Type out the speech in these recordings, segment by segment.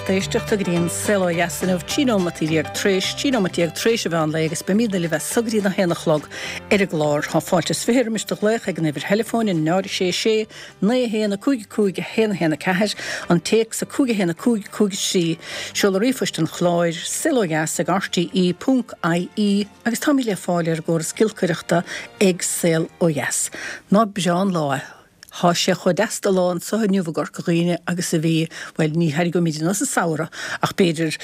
lucht éisteachta go dtí an Saol Ó Dheas inniu, 13 nóimeataí tréis, 13 nóimeat tréis an mheán lae agus beimidne libh as so go dtí a haon a chlog ar an gclár. Tá fáilte is 20 roimis do ghlaoch ag an uimhir theileafóin 0 6 6 9 1 5 5 1 1 4, an téacs 5 1 5 5 3, seoladh ríomhphoist an chláir, saolodheas ag rte ponc ie agus táimid le fáil ar an gcóras giolcaireachta ag Saol Ó Dheas. Ná breá an lá é. Thá sé chomh deas de lá anso inniu i gCorca Dhuibhne agus a bhí, bhuel, ní thairgeoimid anuas an samhradh, ach b'fhéidir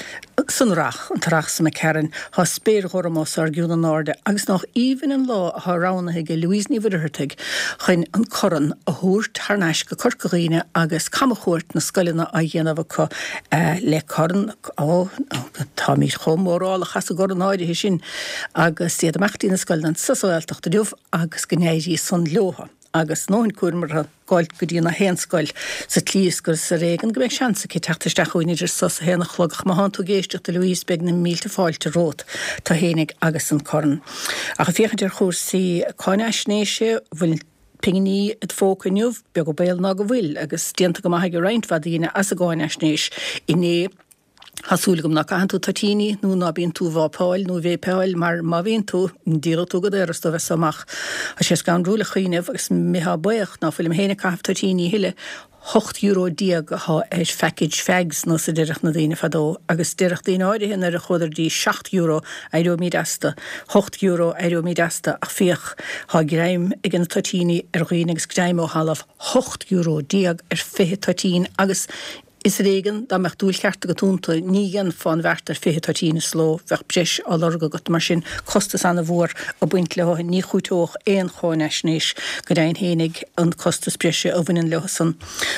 san earrach, an t-earrach so imigh tharainn. Thá spéir ghorm os ár gcionn in airde agus nách aoibhinn an lá athá roghnaithe aige Louise Ní Mhuircheartaigh chun an corn a thabhairt thar n-ais go Corca Dhuibhne agus camchuairt na scoileanna á dhéanamh acu le corn, ó, táimid chomh mórálach as an gcorn áirithe sin agus iad amach dtí na scoileanna anso sa Ghaeltacht inniu agus go n-éirí san leotha. agus a ndóthain cúraim orthu gabháil go dtí na haon scoil sa tslí is gur is ar éigean go mbeidh seans aici teacht isteach chugainn idir so is a haon a chlog ach má thánn tú ag éisteacht a Louise beidh na mílte fáilte romhat, tú fhéinig agus an corn. Ach ag féachaint ar chúrsaí cáinaisnéise, bhfuil pinginí id phóca inniu, beag an baol ná go bhfuil, agus déanta go maith ag roinnt mhaith daoine as an gcáinaisnéis inné. Tá súil agam ná caitheann tú toitíní nó ná bíonn tú ag vápáil nó ag véipeáil mar má bhíonn tú, díolfaidh tú go daor as dóibh as so amach. Tá sé scanrúil a chuimhneamh agus mbeifeá buíoch ná fuilim féin ag caitheamh toitíní a thuilleadh, €18 euro athá ar phackage fags nós a deireadh na daoine fadó agus deireadh daoine áirithe nuair a chuadar dtí €7 éireoimíd astu, €8 éireoimíd astu ach féach thá greim ag na toitíní ar dhaoine agus greim ó thalamh, €18 euro ar 20 toitín agus Is ar éigean, dá mbeadh dúil cheart agat iontu, ní dhéanfá an bheart ar 20 toitín sa ló, bheadh breis á lorg agat. Mar sin, costas an-mhór ag baint leo, ní chúiteodh aon cháinaisnéis, go deimhin fhéinig, an costas breise a bhaineann leo san.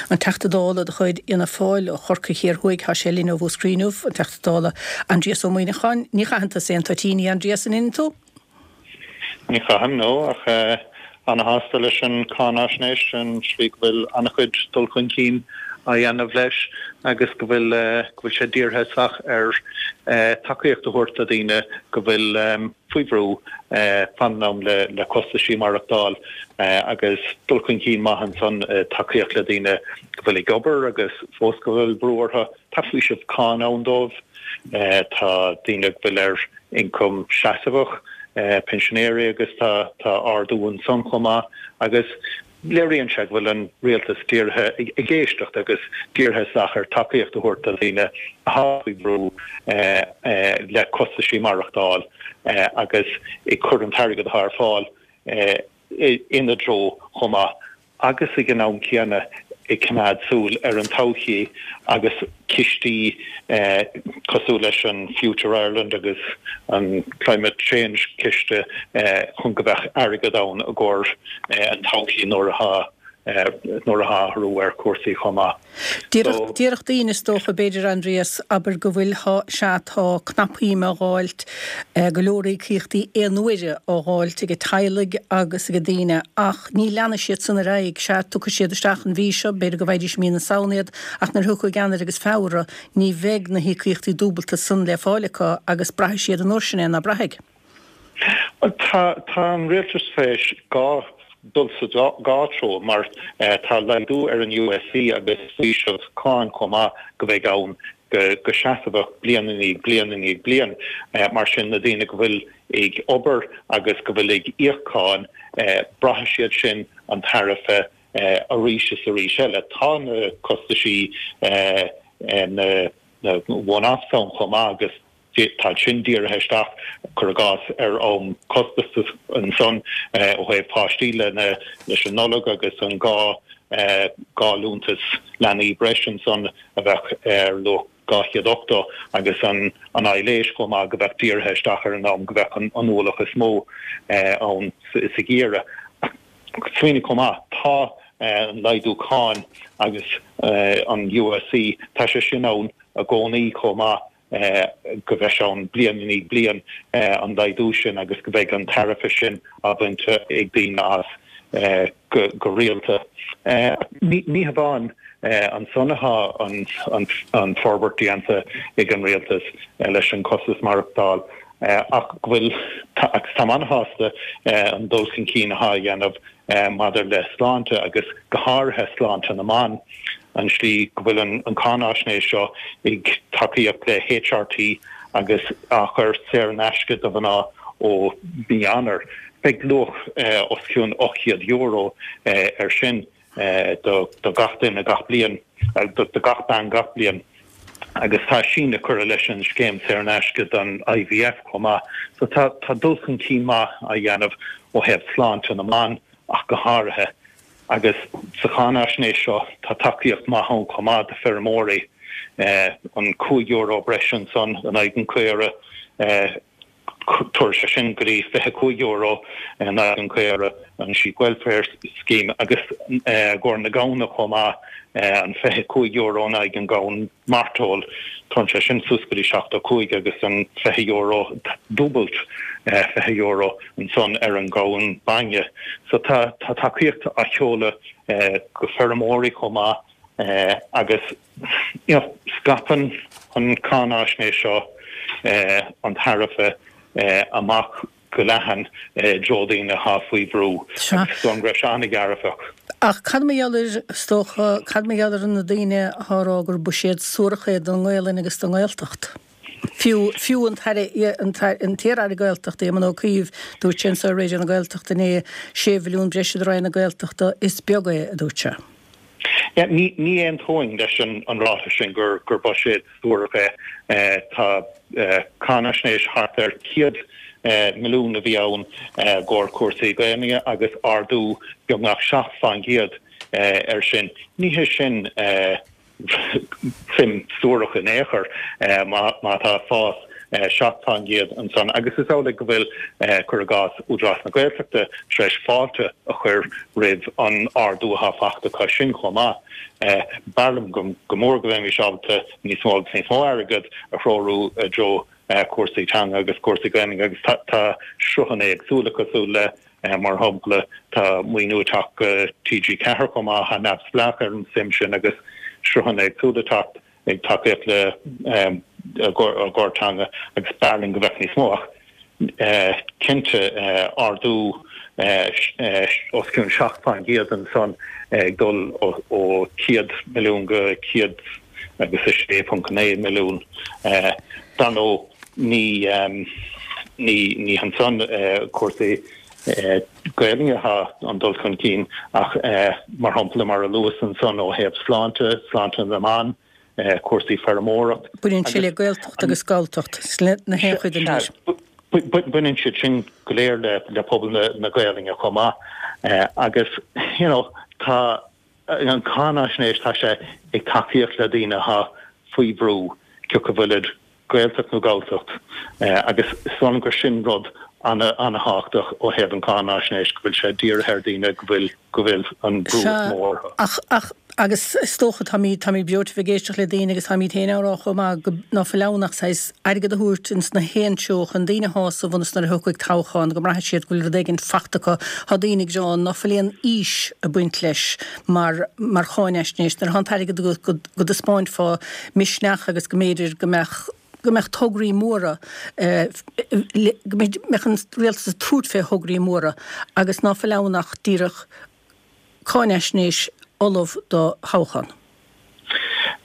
An Teachta Dála de chuid Fhianna Fáil ó Chorcaigh Thiar Thuaidh, tá sé linn ó Mhúscraí inniu, an Teachta Dála Aindrias Ó Muimhneacháin. Ní chaitheann tusa aon toitíní, a Aindrias, an itheann tú? Ní chaithim, no, ach ana-shásta leis an cáinaisnéis, an tslí go bhfuil an-chuid dul chun cinn á dhéanamh leis agus go bhfuil go bhfuil sé dírithe isteach ar tacaíocht a thabhairt do dhaoine go bhfuil faoi bhrú fán am le le costaisí maireachtáil agus dul chun cinn maith ansan tacaíocht le daoine go bhfuil ag obair agus fós go bhfuil brú orthu. Tá faoiseamh cáin ann dóibh. Tá daoine go bhfuil ar ioncam seasmhach, pinsinéirí agus tá ardú ansan chomh maith agus léiríonn sé go bhfuil an rialtas dírithe ag éisteacht agus dírithe isteach ar tacaíocht a thabhairt do dhaoine atá faoi bhrú le costaisí maireachtáil agus ag cur an t-airgead atá ar fáil ina dtreo chomh maith. agus ag an am céanna ag coimeád súil ar an todhchaí agus cistí cosúil leis an Future Ireland agus an Climate Change Ciste chun go mbeadh airgead ann i gcomhair an todhchaí nuair atá nuair atá athrú ar chúrsaí chomh maith. So. Déarfadh daoine, is dócha, b'fhéidir, Aindrias, abair go bhfuil, thá, sea, tá cnapshuim á dháilt, go leor íocaíochtaí aon-uaire á dháilt ag teaghlaigh agus ag daoine ach ní leanfaidh siad san ar aghaidh, sea, tiocfaidh siad isteach an mhí seo, b'fhéidir go bhfaighidís i mí na Samhna iad ach nuair a thiocfaidh Eanáir agus Feabhra ní bheidh na híocaíochtaí dúbalta san le fáil acu agus braithfidh siad an uair sin é, ná braithfidh? Bhuel, tá, tá an rialtas tar éis dhá, dul sa dhá treo mar tá laghdú ar an USC agus faoiseamh cáin chomh maith go mbeidh ann go, go seasmhach bliain i ndiaidh bliain i ndiaidh bliain. Mar sin na daoine go bhfuil ag obair agus go bhfuil ag íoc cáin, braithfidh siad sin an tairbhe arís is arís eile. Tá na costaisí, na, na one-offs ann chomh maith agus, Tá sin dírithe isteach, cuir i gcás, ar am costasach ansan ó thaobh páistí leis an Nollaig agus an 2 liúntas leanaí breis ansan a bheadh ar luach 280 agus an aibhléis chomh maith go bheadh dírithe isteach ar an am go bheadh an ualach is mó ann sa gheimhreadh. Ach smaoinigh chomh maith, tá an laghdú cáin agus an USC, tá sé sin ann i gcónaí chomh maith. go mbeidh sé ann bliain i ndiaidh bliain, an laghdú sin agus go mbeidh an tairbhe sin á bhaint ag daoine as go rialta. Ní hamháin ansan atá an forbairt déanta ag an rialtas leis an costas maireachtáil ach go bhfuil, agus táim an-shásta an dul chun cinn atá á dhéanamh maidir le sláinte agus go háirithe sláinte na mban. an slí go bhfuil an cáináisnéis seo ag tacaíocht le HRT agus á chur saor in aisce do mhná ó mhí Eanáir. Beidh luach os cionn €800 air sin do gach duine gach bliain, do gach bean gach bliain. Agus tá síneadh curtha leis an scéim saor in aisce don IVF chomh maith. So tá dul chun cinn maith á dhéanamh ó thaobh sláinte na mban ach go háirithe. Agus sa cháinaisnéis seo tá tacaíocht maith ann chomh maith do feirmeoirí, an €5 breise ansan in aghaidh an chaora, tabharfaidh sé sin go dtí €25 in aghaidh an chaora, an Sheep Welfare Scheme, agus i gcomhair na gamhna chomh maith, an €25 in aghaidh an gamhain mairteoil, téann sé sin suas go dtí 75 agus an €20, dúbailt €20 ansan ar an gamhain bainne. So tá tacaíocht á sheoladh go feirmeoirí chomh maith agus you know scaipeann an cáináisnéis seo an tairbhe amach go leathan i dtreo daoine atá faoi bhrú agus is dóigh liom go raibh sé an-dhearfach. Ach cad mar gheall ar, is dócha, cad mar gheall ar na daoine atá ag rá gur buiséad suarach é don nGaelainn agus don nGaeltacht? Fiú, fiú an tAire, an t-iar-Aire Gaeltachta, Éamon Ó Cuív, dúirt sé anseo ar Raidió na Gaeltachta inné, sé mhilliún breise do Roinn na Gaeltachta, is beag é, a dúirt sé. Ní aontóinn leis an ráiteas sin gur buiséad suarach é. Tá cáinaisnéis thart ar 100 milliún a bhí ann i gcomhair cúrsaí Gaelainne agus ardú beagnach 7 fán gcéad air sin. Ní hé sin suim suarach in aon chor má tá fás 7 fán gcéad ansan agus is amhlaidh go bhfuil, cuir i gcás, Údarás na Gaeltachta tar éis fáilte a chur roimh an ardú atá fachta acu sin chomh maith. B'fhearr liom go mór go mbeimis ábalta níos mó agus níos mó airgead a threorú i dtreo cúrsaí teanga agus cúrsaí Gaelainne agus tá sruthanna éagsúla cosúil le, mar shampla, tá maoiniú ag teacht go TG4 chomh maith atá neamhspleách ar an suim sin agus sruthanna éagsúla ag teacht ag tacaíocht le i gcomhair teanga agus b'fhearr linn go mbeadh níos mó ach cinnte ardú os cionn 7 fán gcéad ansan ag dul ó 100 milliún go 100 agus 6.9 milliún. Dar ndóigh ní ní hansan cúrsaí Gaelainne atá an dul chun cinn ach mar shampla mar a luas ansan ó thaobh sláinte, sláinte na mban, cúrsaí feirmeoireacht. Baineann sé le Gaeltacht agus Galltacht na haon chuid den tír. Baineann siad sin go léir le pobal na Gaelainne chomh maith agus you know tá an cháinaisnéis tá sé ag tacaíocht le daoine atá faoi bhrú, cé acu bhfuilid Gaeltacht nó Galltacht agus is dóigh liom gur sin rud ana-thábhachtach ó thaobh an cháinaisnéis, go bhfuil sé dírithe ar daoine go bhfuil, go bhfuil an brú is mó orthu. Ach, ach, agus is dócha, táimid, táimid breoite bheith ag éisteacht le daoine agus táimid féin á rá chomh maith go, ná fuil ann ach saghas airgead a thabhairt ins na haon treo chun daoine a shásamh ionas nuair a thiocfaidh toghchán go mbraithfidh siad go bhfuil rud éigin fachta acu. Tá daoine ag rá ná fuil aon fhís ag baint leis mar, mar cháinaisnéis nuair atá an t-airgead agat go, go dtaispeáinfeá misneach agus go mb'fhéidir go mbeadh, go mbeadh tograí móra, go mbeadh an rialtas ag tabhairt fé thograí móra agus ná fuil ann ach díreach cáinaisnéis ullamh do thoghchán.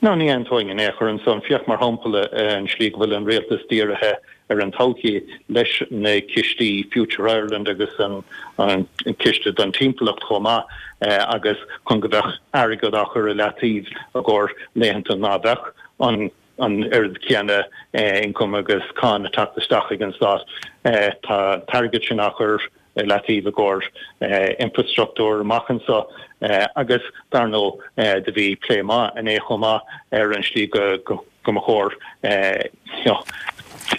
Ná ní aontóinn in aon chor ansan. Féach mar shampla an slí go bhfuil an rialtas dírithe ar an todhchaí leis na cistí Future Ireland agus an ciste don timpeallacht chomh maith agus chun go mbeadh airgead á chur i leataobh i gcomhair laethanta ná beadh an an oiread céanna ioncaim agus cáin ag teacht isteach ag an stát. Tá an t-airgead sin á chur i leataobh i gcomhair infrastruchtúr amach anso agus dar ndóigh do bhí plé maith inné chomh maith ar an slí go mba chóir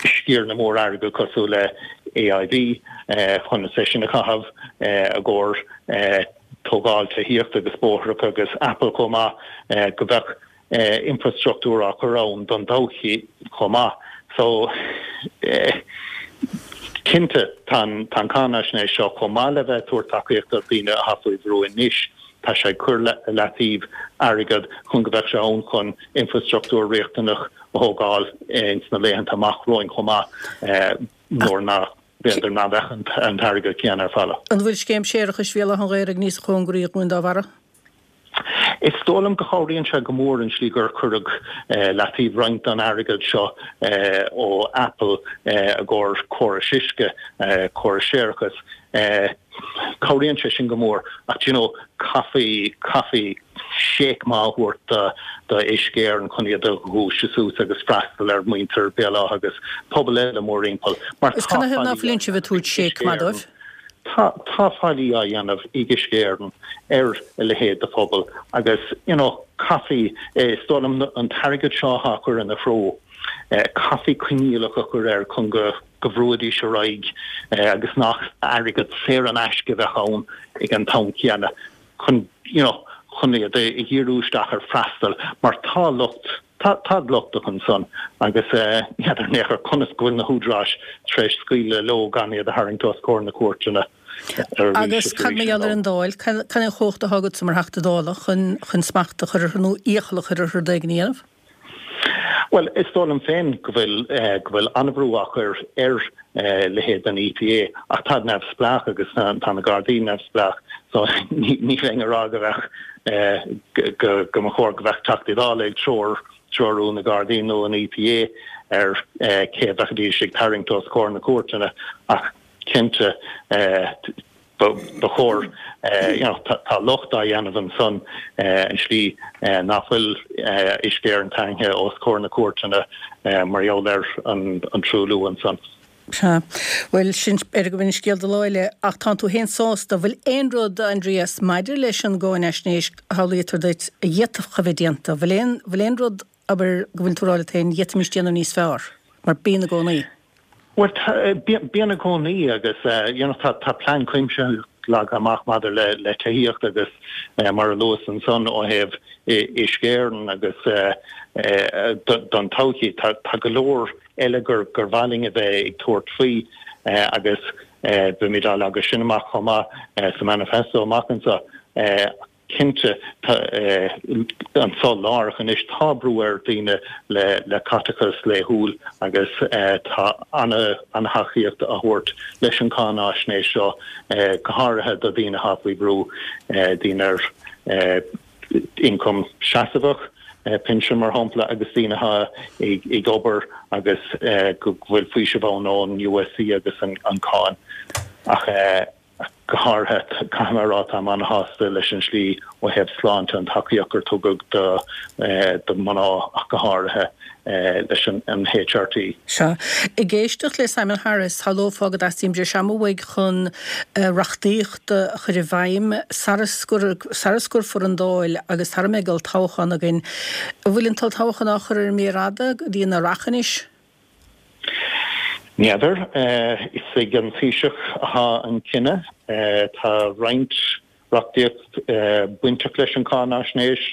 sciaranna mór airgid cosúil le AIB chun é sin a chaitheamh i gcomhair tógáil tithíochta agus bóithreacha agus Apple chomh maith go mbeadh infrastruchtúr á chur ann don todhchaí chomh maith. So, cinnte, tá an cháinaisnéis seo, chomh maith le bheith ag tabhairt tacaíocht do dhaoine atá faoi bhrú anois, tá sé ag cur i leataobh airgead chun go mbeadh sé ann chun infrastruchtúr riachtanach a thógáil ins na laethanta amach romhainn chomh maith, nuair nach, b'fhéidir, nach mbeadh an t-airgead céanna ar fáil. An bhfuil scéim séarachais Bhéal Átha an Ghaorthaidh níos cóngaraí dhúinn dá bharra? Is dóigh liom go chabhraíonn sé go mór an slí gur cuireadh leataobh roinnt den airgead seo ó Apple i gcomhair córais uisce, córais séarachais. Cabhraíonn sé sin go mór ach do you know caithfí, caithfí séic maith a thabhairt do do Uisce Éireann chun iad a dhúiseadh suas agus freastal ar mhuintir Béal Átha agus pobail eile mórthimpeall mar tá faillí á dhéanamh ag Uisce Éireann. Tá tá faillí á dhéanamh ag Uisce Éireann ar a leithéid de phobal agus you know caithfí, is dóigh liom an t-airgead seo atá á chur ina threo, caithfí coinníollacha a chur air chun go go bhrúidís ar aghaidh agus nach airgead saor in aisce a bheadh ann ag an t-am céanna chun you know chun iad a dhíriú isteach ar freastal mar tá locht tá tá lochtach ansan agus n'fheadar in aon chor conas go bhfuil na húdaráis tar éis scaoileadh leo gan iad a tharraingt os comhair na cúirteanna arís Agus is cad arís mar gheall ar an Dáil? Cad é an chumhacht atá agatsa mar Theachta Dála chun chun smacht a chur orthu nó iachall a chur orthu rud éigin a dhéanamh? Bhuel, is dóigh liom féin go bhfuil, go bhfuil an-bhrú á chur ar leithéid den EPA ach táid neamhspleách agus tá na Gardaí neamhspleách so ní bheinn ag rá go mbeadh, go, go mba chóir go mbeadh Teachtaí Dála ag treoir, treorú na Gardaí nó an EPA ar cé a bheidís ag tarraingt os comhair na cúirteanna ach cinnte, Ba chóir, you know, tá locht á dhéanamh ansan an slí nach bhfuil Uisce Éireann tarraingthe os comhair na cúirteanna mar gheall ar an truailliú ansan. Sea. Bhuel, sin, b'fhéidir go b'in scéal do lá eile, ach tánn tú féin sásta. Bhfuil aon rud, a Aindrias, maidir leis an gcáinaisnéis a shamhlaítear duit a d'fhéadfadh a bheith déanta? Bhfuil aon, bhfuil aon rud, abair, go bhfuil tú ag rá leat féin, d'fhéadfaimis déanamh níos fearr? Mar bíonn i gcónaí. Bhuel, bíonn i gcónaí agus you know tá tá plean cuimsitheach leagtha amach maidir le le tithíocht agus mar a luas ansan ó thaobh Uisce Éireann agus don todhchaí tá tá go leor eile gur gur mhaith linn a bheith ag tabhairt faoi agus beimid á leagadh sin amach chomh maith sa manifesto amach anseo. Cinnte, tá anso láithreach anois, tá brú ar dhaoine le caiteachas laethúil agus tá an-thacaíocht á thabhairt leis an cháináisnéis seo, go háirithe do dhaoine atá faoi bhrú, daoine ar ioncam seasmhach, pinsean mar shampla, agus daoine atá ag obair agus go bhfuil faoiseamh ann ón USC agus an cáin. Ach. Go háirithe, caithfidh mé a rá, táim an-shásta leis an slí ó thaobh sláinte, an tacaíocht gur tugadh do do mhná ach go háirithe leis an HRT. Sea. Ag éisteacht le Simon Harris, shamhlófá go dteastaíonn breis ama uaidh chun reachtaíocht a chur i bhfeidhm sara scoirfear an Dáil agus sara mbeidh olltoghchán againn. An bhfuil an t-olltoghchán á chur ar an méar fhada go dtí an earrach anois? N'fheadar. Is ag an Taoiseach atá an cinneadh. Tá roinnt reachtaíocht bainteach leis an cháinaisnéis,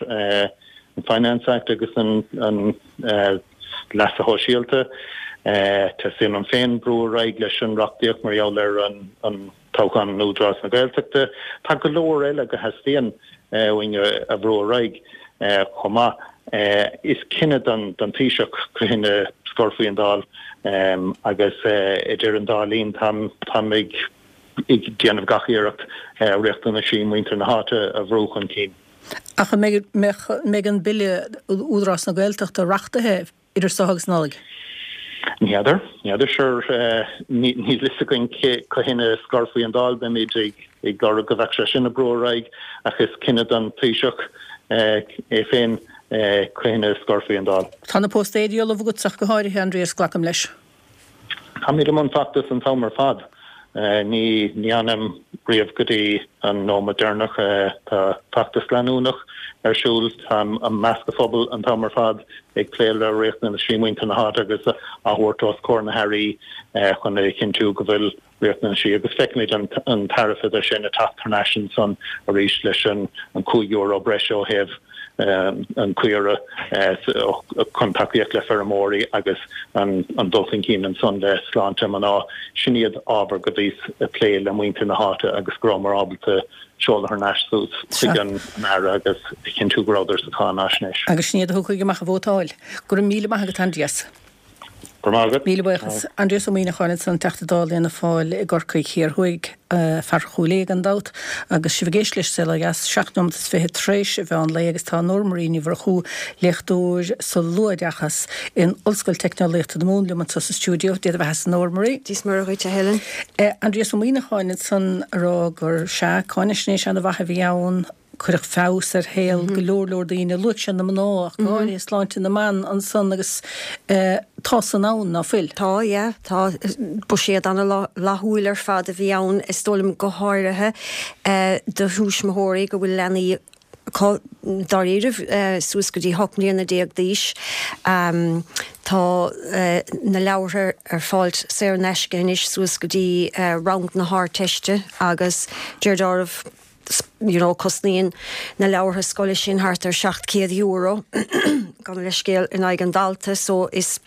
an Finance Act agus an Leasa Shóisialta. Teastaíonn uaim féin brú ar aghaidh leis an reachtaíocht mar gheall ar an toghchán in Údarás na Gaeltachta. Tá go leor eile go theastaíonn uainn a bhrú ar aghaidh chomh maith. Is cinneadh don Taoiseach cathain a scoirfí an Dáil agus idir an dá linn táim ag déanamh gach iarracht riachtanaisí muintir na háite a bhrú chun cinn. Ach an mbeidh an Bille Údarás na Gaeltachta reachtaithe idir seo agus Nollaig? Ní fheadar. Ní fheadar. Sure, níl fhios againn cathain a scoirfí an Dáil. Beimid ag lorg go mbeadh sé sin ag brú ar aghaidh ach is cinneadh don Taoiseach é féin cathain a scoirfí an Dáil. Tá na póstaeirí ullamh agatsa ach go háirithe, Aindrias, glacaim leis. Táimid i mbun feachtais an t-am ar fad. Ní fhanaim riamh go dtí an nóiméad deireanach. Tá feachtas leanúnach ar siúl. Táim i measc an phobail an t-am ar fad ag plé le riachtanaisí muintir na háite agus á thabhairt os comhair na hairí chun a chinntiú go bhfuil riachtanaisí agus feicfimid an tairfead sin ag teacht thar n-ais ansan arís leis an €5 breise ó thaobh an caora chun tacaíocht le feirmeoirí agus an dul chun cinn ansan le sláinte mná. Sin iad ábhair go bhíos ag plé le muintir na háite agus go rabhamar ábalta seoladh thar n-ais suas chuig an Aire agus a chinntiú go rabhadar sa cháinaisnéis. Agus sin iad a thiocfaidh amach ag vótáil. Go raibh míle maith agat, Aindrias. Go raibh maith agat. Míle buíochas. Aindrias Ó Muíneacháin ansan, Teachta Dála Fhianna Fáil i gCorcaigh Thiar Thuaidh, fear Chúil Aodha gan dabht, agus sibh ag éisteacht leis Saol Ó Dheas, 7 nóimeat is 20 tréis an mheán lae agus tá Nóra Marie Ní Mhurchú, léachtóir sa luathoideachas in Ollscoil Teicneolaíochta na Mumhan liom anso sa stiúideo. Dia do bheatha-sa Nóra Marie. Dia is Muire dhuit a Helen. Aindrias Ó Muíneacháin ansan a rá gur sea, cáinaisnéis ana-mhaith a bhí ann, Cuireadh feabhas ar shaol go leor leor daoine. Luaigh sé na mná ach go háirithe, sláinte na mban ansan agus tá san ann, ná fuil? Tá, yeah, tá. Buiséad ana-fhlaithiúil ar fad a bhí ann, is dóigh liom, go háirithe do thuismitheoirí go bhfuil leanaí acu, dáiríribh, suas go dtí 18 mbliana d'aois. Tá na leabhartha ar fáil saor in aisce anois suas go dtí rang na hArdteiste agus deir deáramh, you know cosnaíonn na leabhartha scoile sin thart ar €700, gabh mo leithscéal, in aghaidh an dalta so is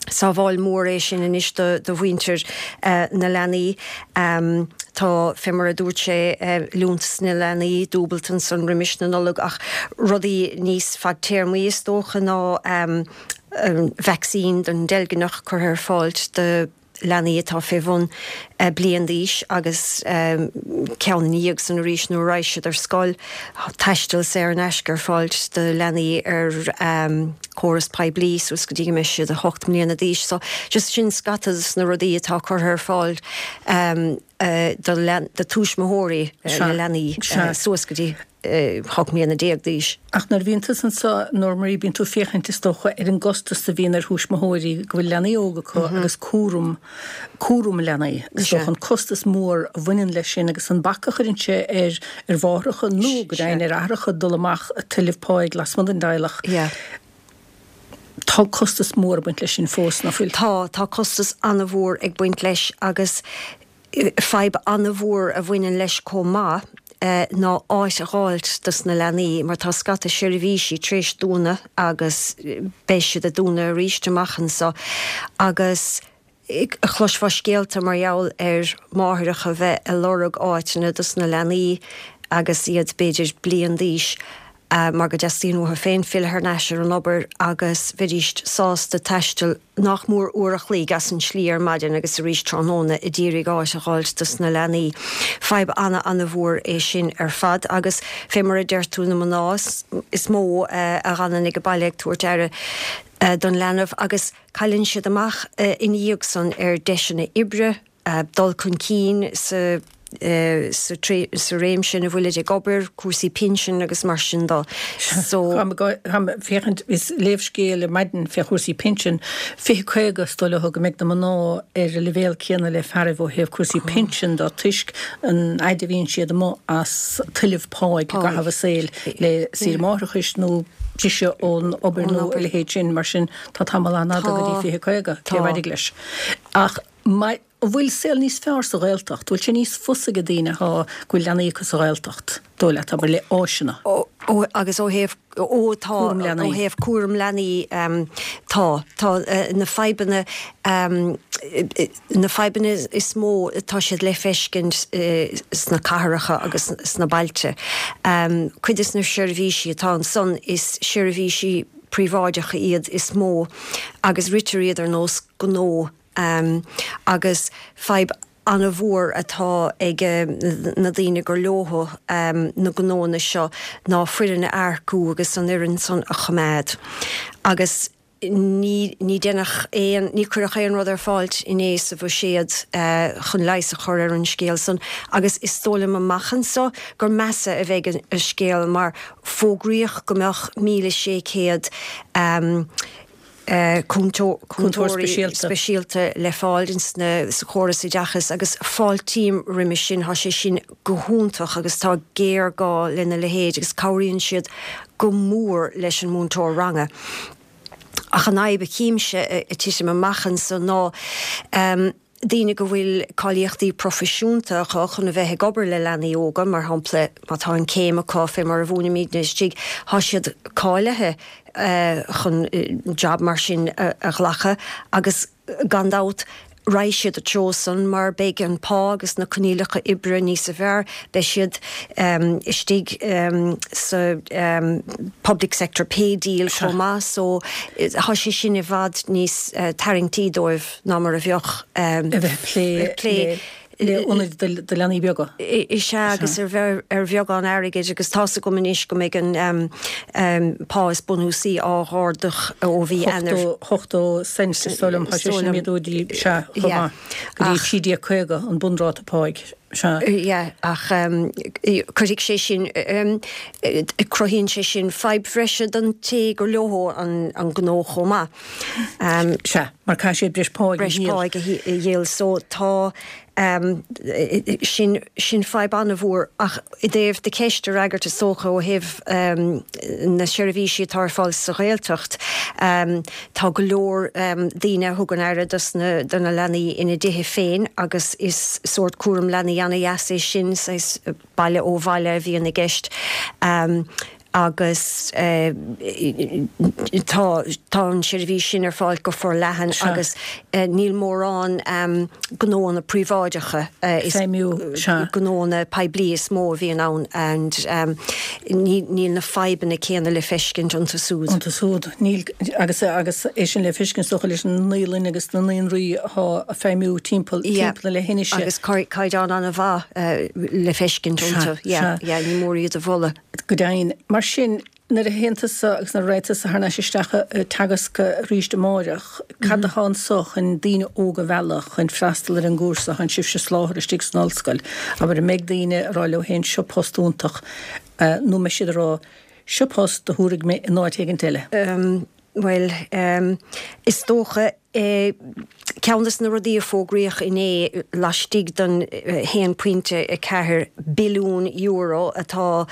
sábháil mhór é sin anois do do mhuintir na leanaí. Tá, fé mar a dúirt sé, liúntas na leanaí dúbailte ansan roimis na Nollag ach rudaí níos fadtéarmaí is dócha ná vacsaín don deilgneach curtha ar fáilt do leanaí atá fé bhun bliain d'aois agus ceann ina dhiaidh san arís nuair a raghaidh siad ar scoil. Taisteal saor in aisce ar fáilt do leanaí ar córas poiblí suas go dtí go mbeidh siad 8 mbliana d'aois. So just sin scata dos na rudaí atá curtha ar fáil do tuismitheoirí na leanaí suas go dtí 18 mbliana d'aois. Ach nuair a bhíonn tusa anseo, Nóra Marie, bíonn tú ag féachaint, is dócha, ar an gcostas a bhíonn ar thuismitheoirí go bhfuil leanaí óga acu agus cúram, cúram leanaí. Is dócha an costas mór a bhaineann leis sin agus an bac a chuireann sé ar ar mháithreacha nó go deimhin ar aithreacha dul amach ag tuilleamh páigh lasmuigh den dteaghlach. Tá costas mór ag baint leis sin fós, ná fuil? Tá, tá costas an-mhór ag baint leis agus Fadhb an-mhór a bhaineann leis chomh maith ná áit a dh'fháilt dos na leanaí mar tá scata seirbhísí tar éis dúnadh agus beidh siad ag dúnadh arís amach anso agus chloisfeá scéalta mar gheall ar mháithreacha bheith ag lorg áiteanna dos na leanaí agus iad b'fhéidir bliain d'aois mar go dteastaíonn uathu féin filleadh thar n-ais ar an obair agus bheidíst sásta taisteal nach mór uair a chloig as an tslí ar maidin agus arís tráthnóna a d'iarraidh áit a dh'fháilt dos na leanaí. Fadhb ana-ana-mhór é sin ar fad agus fé mar a deir tú na mná is mó a dh'fhanann ag baile ag tabhairt aire don leanbh agus cailleann siad amach ina dhiaidh san ar deiseanna oibre, dul chun cinn sa sa réimse ina bhfuilid ag obair, cúrsaí pinsin agus mar sin de. So. Táim ag féachaint, is léamh scéal ar maidin fé chúrsaí pinsin, 2050 is dóigh leo go mbeidh na mná ar an leibhéal céanna le fearaibh ó thaobh cúrsaí pinsin de toisc an fhaid a bhíonn siad amuigh as tuilleamh páigh i gcaitheamh a saoil le saoire máithreachais nó briseadh ón obair nó a leithéid sin. Mar sin tá tamall an-fhada go dtí 2050, cé a mhairfidh leis. Ach. An bhfuil saol níos fearr sa Ghaeltacht? Bhfuil sé níos fusa ag daoine atá, go bhfuil leanaí acu sa Ghaeltacht, dóigh leat, abair, le áiseanna? Ó, agus ó thaobh, ó tá, ó thaobh cúram leanaí, tá. Tá na fadhbanna, na fadhbanna is mó, tá siad le feiscint sna cathracha agus sna bailte. Cuid des na seirbhísí atá ansan, is seirbhísí príobháideacha iad is mó agus ritear iad ar nós gnó. Agus fadhb an-mhór atá ag na daoine gur leothu na gnóanna seo ná foireann a earcú agus an fhoireann san a choimeád. Agus ní ní deineadh aon, ní cuireadh aon rud ar fáilt inné sa bhuiséad chun leigheas a chur ar an scéal san agus is dóigh liom amach anso gur measa a bheidh an scéal mar fógraíodh go mbeadh 1,600 cúntóirí speisialta le fáil sa chóras oideachais agus fáiltím roimis sin, tá sé sin go hiontach agus tá géarghá lena leithéid agus cabhraíonn siad go mór leis an múinteoir ranga. Ach an fhadhb a chímse ag titim amach anso ná, daoine go bhfuil cáilíochtaí proifisiúnta acu chun a bheith ag obair le leanaí óga, mar shampla, má tá an céim acu fé mar a mhúinimidne istigh, tá siad cáilithe chun jab mar sin a ghlacadh agus gan dabht. Raghaidh siad an treo san mar beidh an pá agus na coinníollacha oibre níosa bhfearr, beidh siad istigh sa public sector pay deal chomh maith so tá sé sin i bhfad níos tarraingtí dóibh ná mar a bheadh a bheith ag plé le ionaid do leanaí beaga. Is ea, agus ar ar bheagán airgid, agus tá's agam anois go mbeidh an pá is bunúsaí á ardú ó mhí Eanáir. 80 cent is dóigh liom, tá sé sin méadú dtí, sea, chomh maith, go dtí 13.50 an bunráta páigh, sea. Yeah, ach cuirfidh sé sin, cruthaíonn sé sin fadhb bhreise don té gur leo an gnó chomh maith. Sea, mar caithfidh siad breis páigh a dhíol. Breis páigh a dhíol. So tá, sin, sin fadhb an-mhór. Ach i dtaobh do cheist a fhreagairt is dócha ó thaobh na seirbhísí atá ar fáil sa Ghaeltacht, tá go leor daoine a thugann aire dos na, do na leanaí ina dtithe féin agus is sórt cúram leanaí an-dheas é sin, saghas baile ó bhaile a bhíonn i gceist. Agus tá tá an tseirbhís sin ar fáil go forleathan agus níl mórán gnóanna príobháideacha, is gnóanna poiblí is mó a bhíonn ann and níl na fadhbanna céanna le feiscint iontu súd. Iontu súd, níl, agus agus é sin le feiscint is dócha leis na naíolanna agus na naíonraí atá ag feidhmiú timpeall timpeall na leithinise. Agus caighdeán an-mhaith le feiscint iontu, yeah, yeah, ní mór iad a mholadh. Go deimhin. Mar sin, nuair a théann tusa agus nuair a raghaidh tusa thar n-ais isteach ag teagasc arís amáireach, cad atá anso chun daoine óga a mhealladh chun freastal ar an gcúrsa a thánn sibhse a soláthar istigh san ollscoil? Abair, an mbeidh daoine ag rá leo féin seo post iontach, nó an mbeidh siad ag rá seo post a thabharfaidh mé in áit éigint eile? Bhuel, is dócha, ceann de na rudaí a fógraíodh inné laistigh den €1.4 billiún atá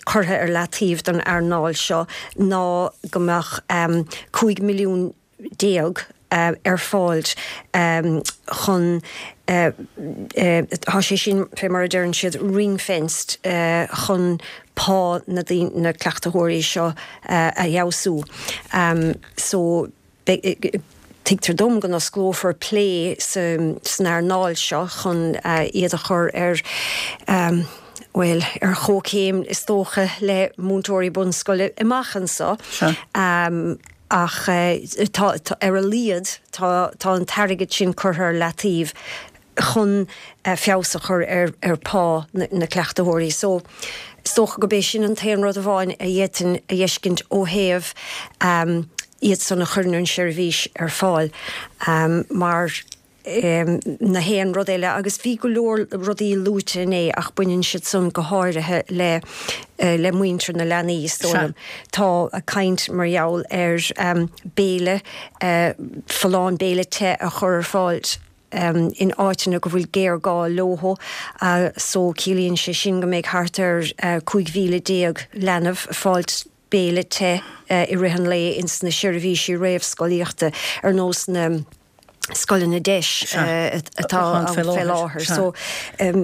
curtha ar leataobh don earnáil seo ná go mbeadh 15 milliún ar fáil chun, tá sé sin, fé mar a deireann siad, ring-fenced chun pá na na cleachtaitheoirí seo a fheabhsú. So, tuigtear dom go n-osclófar plé san earnáil seo chun iad a chur ar, bhuel, ar chomhchéim is dócha le múinteoirí bunscoile amach anso. Ach tá, ar a laghad, tá tá an t-airgead sin curtha ar leataobh chun feabhas a chur ar ar phá na cleachtaitheoirí. So, is dócha gurb é sin an t-aon rud amháin a d'fhéadfainn a fheiscint ó thaobh iad san a chuireann an tseirbhís ar fáil mar na haon rud eile agus bhí go leor rudaí luaite inné ach baineann siad san go háirithe le le muintir na leanaí is dóigh liom. Tá caint mar gheall ar béile folláin, béile te a chur ar fáil in áiteanna go bhfuil géarghá leo so ciallaíonn sé sin go mbeidh thart ar 15,000 leanbh ag fáilt béile te i rith an lae ins na seirbhísí réamhscolaíochta ar nós na scoileanna DEIS atá ann fé láthair. So,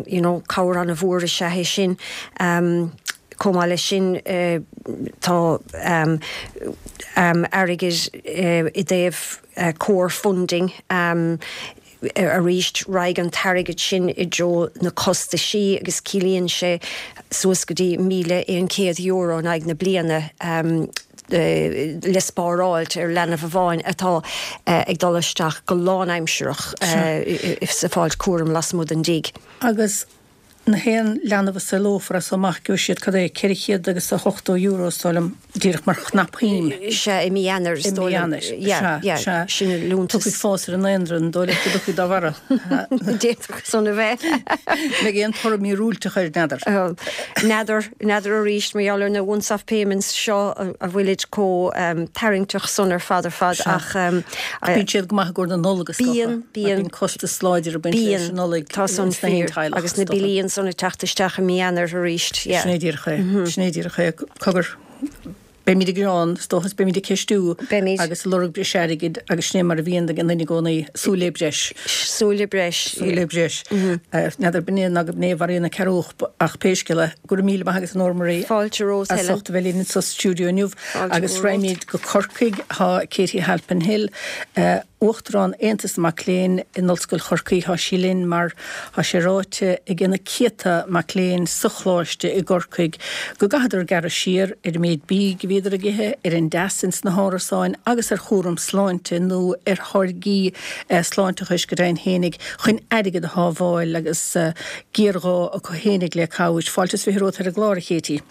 you know, cabhair an-mhór is ea é sin. Chomh maith leis sin, tá airgead i dtaobh core funding arís, raghaidh an t-airgead sin i dtreo na costaisí agus ciallaíonn sé suas go dtí €1,100 in aghaidh na bliana le spáráilt ar leanbh amháin atá ag dul isteach go lánaimsearach sa fáilt cúraim lasmuigh den dtigh. Agus na haon leanbh a saolófar as so amach gheobhaidh siad, cad é, 400 agus a 80 euro is dóigh liom, díreach mar chnapshuim. Sea, i mí Eanáir is dóigh liom. I mí Eanáir, sea, yeah, sea. Sin an liúntas. Tiocfaidh fás ar an ndaonra, an dóigh leat go dtiocfaidh dá bharra? D'fhéadfadh san a bheith. Mbeidh aon toradh míorúilteach air, n'fheadar. N'fheadar, n'fheadar arís, mar gheall ar na once-off payments seo a bhfuilid chomh tarraingteach san ar fad ar fad ach. Ach bíonn siad go maith i gcomhair na Nollag is dócha. Bíonn, bíonn. Mar bíonn costas láidir ag baint leis an Nollaig Tá san fíor. Agus na billí ansan ag teacht isteach i mí Eanáir arís, yeah. Sin é díreach é. Sin é díreach é. Cogar, beimid ag gearán, is dócha, is beimid ag ceistiú. Beimid. Agus ag lorg breis airgid agus sin é mar a bhíonn ag an duine i gcónaí, súil le breis. Súil le breis. Súil le breis. N'fheadar b'in é ná go b'in é a mharaíonn an cearrbhach ach pé scéal é, go raibh míle maith agat a Nóra Marie. Fáilte romhat, Helen. As ucht a bheith linn anso sa stiúideo inniu. Agus raghaimid go Corcaigh, tá Katie Halpin Hill. Uachtarán Aontas na Mac Léinn in Ollscoil Chorcaí. Tá sí linn mar tá sé ráite ag na céadta mac léinn sa Choláiste i gCorcaigh go gcaithfeadar gearradh siar ar an méid bídh a bhíodar ag ithe, ar an dteas ins na hárasáin agus ar chúram sláinte nó ar tháirgí sláinteachais go deimhin fhéinig chun airgead a shábháil agus géarghá acu fhéinig le cabhair. Fáilte is 20 romhat ar an gclár, a Katie.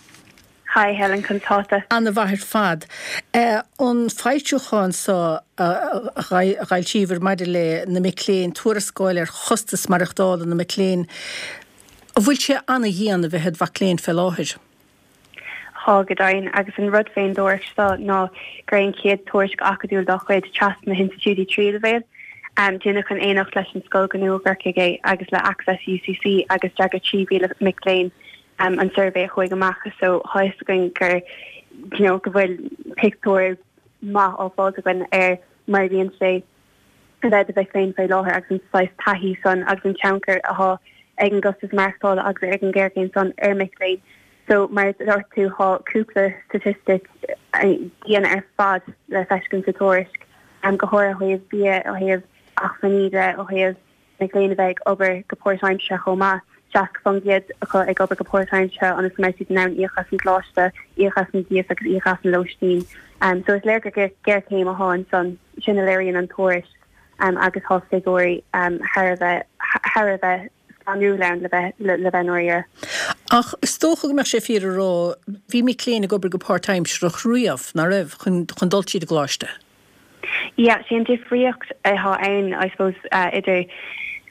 Hi Helen, conas tá tú? Ana mhaith ar fad. An foilseachán so a d'fhoilsíobhair maidir le na mic léinn, tuarascáil ar chostas maireachtála na mic léinn, an bhfuil sé ana dhian a bheith id mhac léinn fé láthair? Tá, go deimhin, agus an rud fén dtuairisc seo ná gur é an chéad tuairisc acadúil dá chuid trasna na hinstitiúidí tríú leibhéal. Déanadh in éineacht leis an Scoil Ghnó i gCorcaigh é agus le Access UCC agus d'fhreagair 3,000 mic léinn an suirbhé a chuaigh amach so tá fhios againn gur you know go bhfuil pictiúr maith á fáilt againn ar mar a bhíonn sé a bheith i do mhic léinn faoi láthair agus an saghas taithí san agus an tionchar atá ag an gcostas maireachtála agus ag an ghéarchéim san ar mic léinn. So mar a dúirt tú tá cúpla statistic dian ar fad le feiscint sa tuairisc, go háirithe ó thaobh bia, ó thaobh acmhainní de, ó thaobh mic léinn a bheith ag obair go páirtaimseartha chomh maith, 60% acu ag obair go páirtaimseartha ionas go mbeidh siad in ann íoc as an gcoláiste, íoc as an gcíos agus íoc as an lóistín. So is léir gur géarchéim atá ansan, sin a léiríonn an tuairisc agus tá figiúirí thar a bheith thar a bheith scanrúil ann le bheith le bheith i ndáiríre. Ach is dócha go mbeadh sé fíor a rá, bhí mic léinn ag obair go páirtaimsearach riamh, nach raibh, chun chun dul tríd an gcoláiste? Yeah, sé an difríocht atá ann, I suppose, idir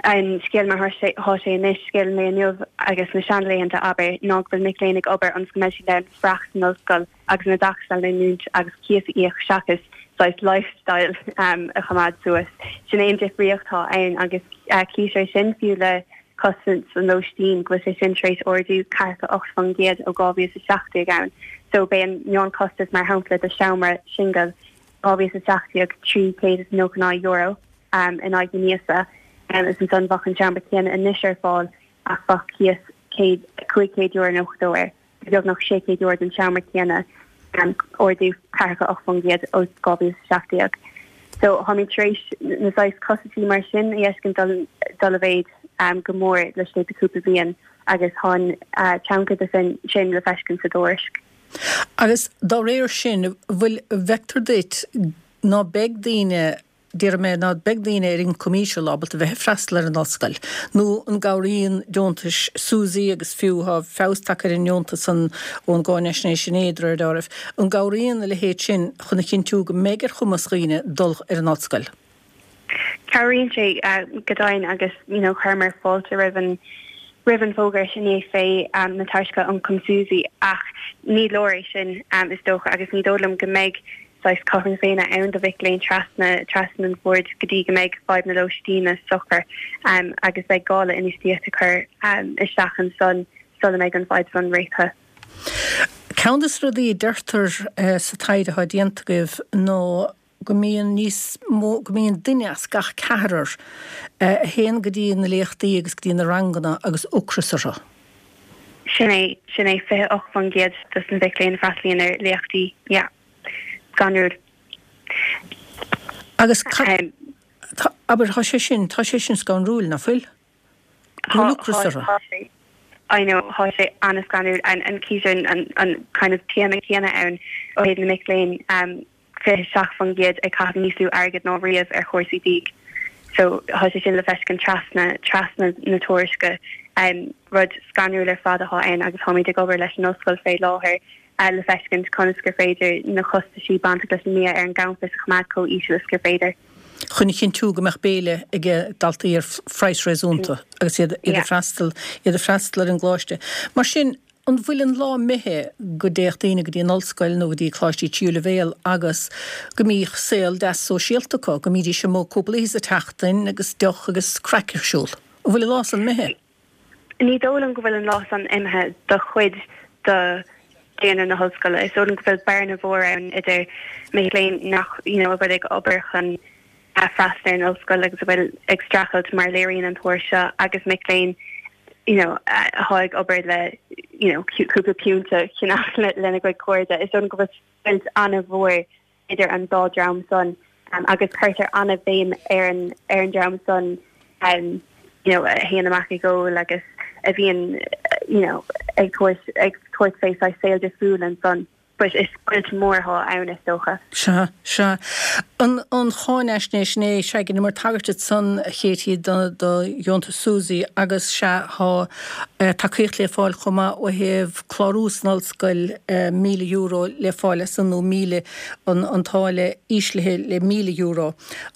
an scéal mar thá sé anois, scéal an lae inniu agus na seanlaethanta, abair, ná go bhfuil mic léinn ag obair ionas go mbeidh siad in ann freastal san ollscoil agus an oideachas a leanúint agus cíos a íoc seachas saghas lifestyle a choimeád suas. Sin é an difríocht atá ann agus cítear é sin fiú le costas an lóistín, go bhfuil sé sin tar éis ardú 48% ó 2017 ann. So b'é an meánchostas, mar shampla, do sheomra singil 2017 €399 in aghaidh na míosa is ansan bheadh an seomra céanna anois ar fáil ach bheadh cíos €592 air, beagnach €600 don seomra céanna, ardú 48% ó 2017. So táimid tar éis na saghas costaisí mar sin a fheiscint dul i mhéid go mór laistigh de cúpla bliain agus tá an tionchar de sin le feiscint sa dtuairisc. Agus dá réir sin, an bhfuil, an bhfeictear duit ná beidh daoine, déarfaidh mé, ná beidh daoine ar ioncam íseal ábalta bheith ag freastal ar an ollscoil? Nó an gcabhraíonn deontais SUSI agus fiú tá feabhas tagtha ar an ndeontas san ón gcáinaisnéis inné, de réir dealraimh, an gcabhraíonn a leithéid sin chun a chinntiú go mbeidh ar chumas dhaoine dul ar an ollscoil? Cabhraíonn sé go deimhin agus you know chuireamar fáilte roimh an roimh an bhfógra inné fé na tairseacha ioncaim SUSI ach ní leor é sin is dócha agus ní dóigh liom go mbeidh saghas cothrom na Féinne ann do mhic léinn trasna trasna an bhoird go dtí go mbeidh fadhb na lóistíne socair agus beidh gá le infheistíocht a chur isteach ansan sula mbeidh an fhadhb san réitithe. Ceann de na rudaí a deirtear sa taighde atá déanta agaibh ná go mbíonn níos mó, go mbíonn duine as gach ceathrar a théann go dtí na léachtaí agus go dtí na ranganna agus ocras orthu. Sin é, sin é, 28% dos na mhic léinn a freastalaíonn ar léachtaí, yeah. Scanrúil. Agus cad, abair, tá sé sin, tá sé sin scanrúil, nach bhfuil? Go bhfuil ocras orthu. Tá sé, I know, tá sé an-scanrúil. And cítear an, an kind of téama céanna ann ó thaobh na mic léinn. 27% ag caitheamh níos lú airgid ná riamh ar chúrsaí bídh. So tá sé sin le feiscint trasna, trasna na tuairisce. Rud scanrúil ar fad atá ann agus táimid ag obair leis an ollscoil fé láthair le feiscint conas gur féidir na costaisí bainteach leis an mbia ar an gcampas a choimeád chomh íseal is gur féidir. Chun a chinntiú go mbeadh béile ag daltaí ar phraghas réasúnta agus iad ag freastal, iad ag freastal ar an gcoláiste. Mar sin, An bhfuil an lá imithe go dtéadh daoine go dtí an ollscoil nó go dtí coláistí tríú leibhéal agus go mbíodh saol deas sóisialta acu, go mbídís amuigh cúpla oíche sa tseachtain agus deoch agus craic ar siúl? An bhfuil an lá san imithe? Ní dóigh liom go bhfuil an lá san imithe do chuid de dhaonra na hollscoile. Is dóigh liom go bhfuil bearna mhór ann idir mic léinn nach, you know, a bhfuil ag obair chun freastal ar an ollscoil agus a bhfuil ag streachailt mar a léiríonn an tuairisc seo agus mic léinn you know atá ag obair le you know cúpla piúnta a cheannach lena gcuid cairde. Is dóigh liom go bhfuil scoilt an-mhór idir an dá dream san. Agus cuirtear an-bhéim ar an ar an dream san you know a théann amach ag ól agus a bhíonn you know ag tabhairt ag tabhairt fé saghas saol difriúil ansan. But is scoilt mór atá ann is dócha. Sea, sea. An an cháinaisnéis inné, sea, dheineamar tagairt ansan, a Katie, do do dheontas SUSI agus sea, tá tacaíocht le fáil chomh maith ó thaobh clárú san ollscoil, €1,000 le fáil as san nó 1,000, an an táille íslithe le €1,000.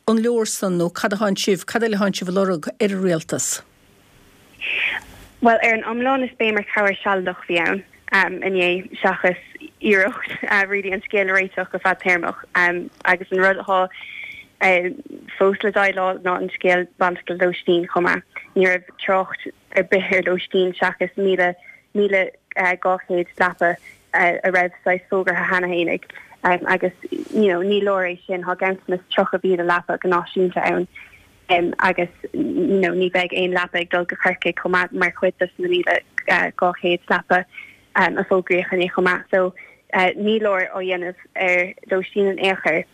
An leor san nó cad atánn sibh, cad eile atánn sibh a lorg ar an rialtas? Bhuel, ar an iomlán is béim ar chabhair sealadach a bhí ann inné seachas iarracht really an scéal a réiteach go fadtéarmach. Agus an rud atá fós le déileáil ná an scéal bainteach le lóistín chomh maith. Ní raibh trácht ar bith ar lóistín seachas 1,200 leapa a raibh saghas fógartha cheana fhéinig agus you know ní leor é sin, tá ganntanas 30,000 leapa go náisiúnta ann. agus you know ní bheidh aon leapa ag dul go Corcaigh chomh maith mar chuid de na 1,200 leapa a fógraíodh inné chomh maith. So ní leor á dhéanamh ar lóistín in aon chor.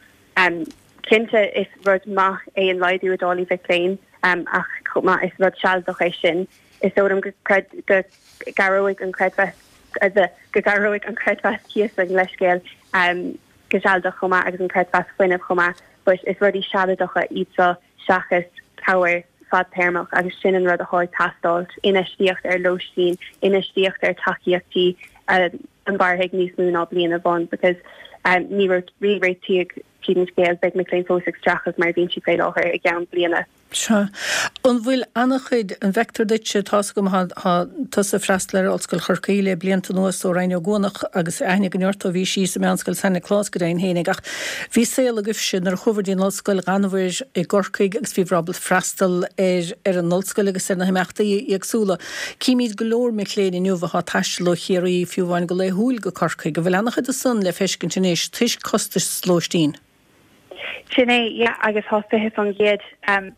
Cinnte is rud maith é an laghdú i dtáillí mhic léinn ach chomh maith is rud sealadach é sin. Is dóigh liom go go gcabhróidh an creidmheas go gcabhróidh an creidmheas cíosa leithscéal go sealadach chomh maith agus an creidmheas fuinnimh chomh maith. But is rudaí sealadacha iad seo seachas cabhair fadtéarmach agus sin an rud atá ag teastáil, infheistíocht ar lóistín, infheistíocht ar tacaíochtaí a mhairfidh níos mó ná bliain amháin because ní réitíodh tríd an scéal, beidh mic léinn fós ag streachailt mar a bhíonn siad faoi láthair i gceann bliana. Sea. An bhfuil an-chuid, an bhfeictear duitse, tá's agam, thá tusa ag freastal ar Ollscoil Chorcaí le blianta anuas ó Rinn Ó gCuanach agus aithne againn ort ó bhís sa Meánscoil San Nioclás go deimhin fhéinig ach bhí saol agaibhse nuair a chuabhair dtí an ollscoil d'fhanabhair i gCorcaigh agus bhíobhair ábalta freastal ar ar an ollscoil agus ar na himeachtaí éagsúla. Címíd go leor mic léinn inniu athá ag taisteal ó Chiarraí fiú amháin go laethúil go Corcaigh. An bhfuil an-chuid de san le feiscint anois toisc costais lóistín? Sin é, yeah, agus thá 20%,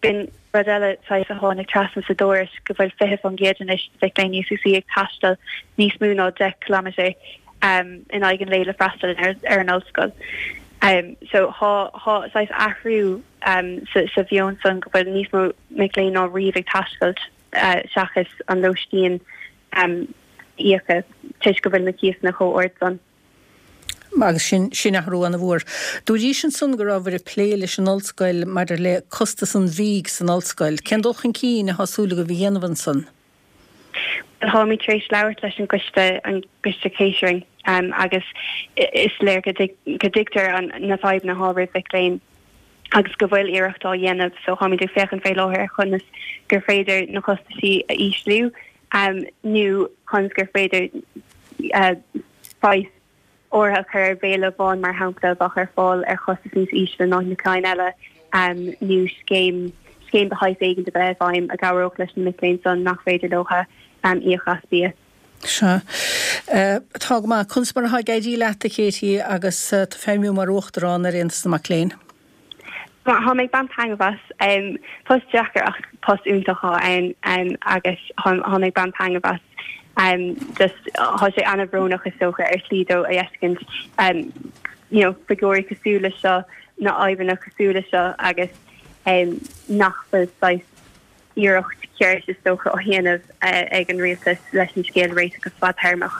b'in rud eile saghas a tháinig trasna sa dtuairisc, go bhfuil 20% anois de mhic léinn UCC ag taisteal níos mó ná 10 kilometre in aghaidh an lae le freastal ar an ollscoil. So thá, thá saghas athrú sa, sa mheon san go bhfuil níos mó mic léinn ná riamh ag taisteal seachas an lóistín a íoc toisc go bhfuil na cíosanna chomh ard san. Agus sin, sin athrú ana-mhór. Dúraís ansan go rabhabhair ag plé leis an ollscoil maidir le costas an bhídh san ollscoil. Cén dul chun cinn athá súil agaibh a dhéanamh ansan? Bhuel, táimid tar éis labhairt leis an gcoiste, an gcoiste catering, agus is léir go dtuigtear na fadhbanna atá roimh mhic léinn agus go bhfuil iarracht á dhéanamh. So táimid ag féachaint fé láthair ar chonas gur féidir na costaisí a ísliú nó conas gur féidir praghas áirithe a chur ar bhéile amháin, mar shampla, a bheadh ar fáil ar chostas níos ísle ná na cinn eile, nó scéim scéim de shaghas éigin a bheith i bhfeidhm a gcabhródh leis na mic léinn san nach féidir leo íoc as bia. Sea. Tá go maith. Conas mar atá ag éirí leat, a Katie, agus tú ag feidhmiú mar Uachtarán ar Aontas na Mac Léinn? Tá mé ag baint taitneamh as. Post deacair ach post iontach atá ann agus tá mé ag baint taitneamh as. Just tá sé an-bhrónach is dócha ar shlí dó a fheiscint you know figiúirí cosúil le seo, na fadhbanna cosúil le seo agus nach bhfuil saghas iarracht cheart is dócha á dhéanamh ag an rialtas leis an scéal a réiteach go fadtéarmach.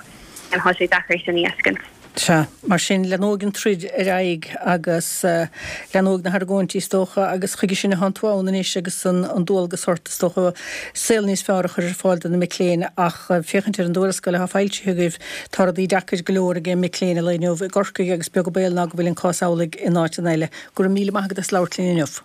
Tá sé deacair é sin a fheiscint. Sea, mar sin, leanóidh an troid ar aghaidh agus leanóidh na hargóintí is dócha agus chuige sin atánn tú ann anois agus an dualgas ort is dócha saol níos fearr a chur ar fáil do na mic léinn ach féachaint ar an dtuarascáil atá foilsithe agaibh tá rudaí deacair go leor ag mic léinn an lae inniu i gCorcaigh agus beag an baol ná go bhfuil an cás amhlaidh in áiteanna eile. Go raibh míle maith agat as labhairt linn inniu.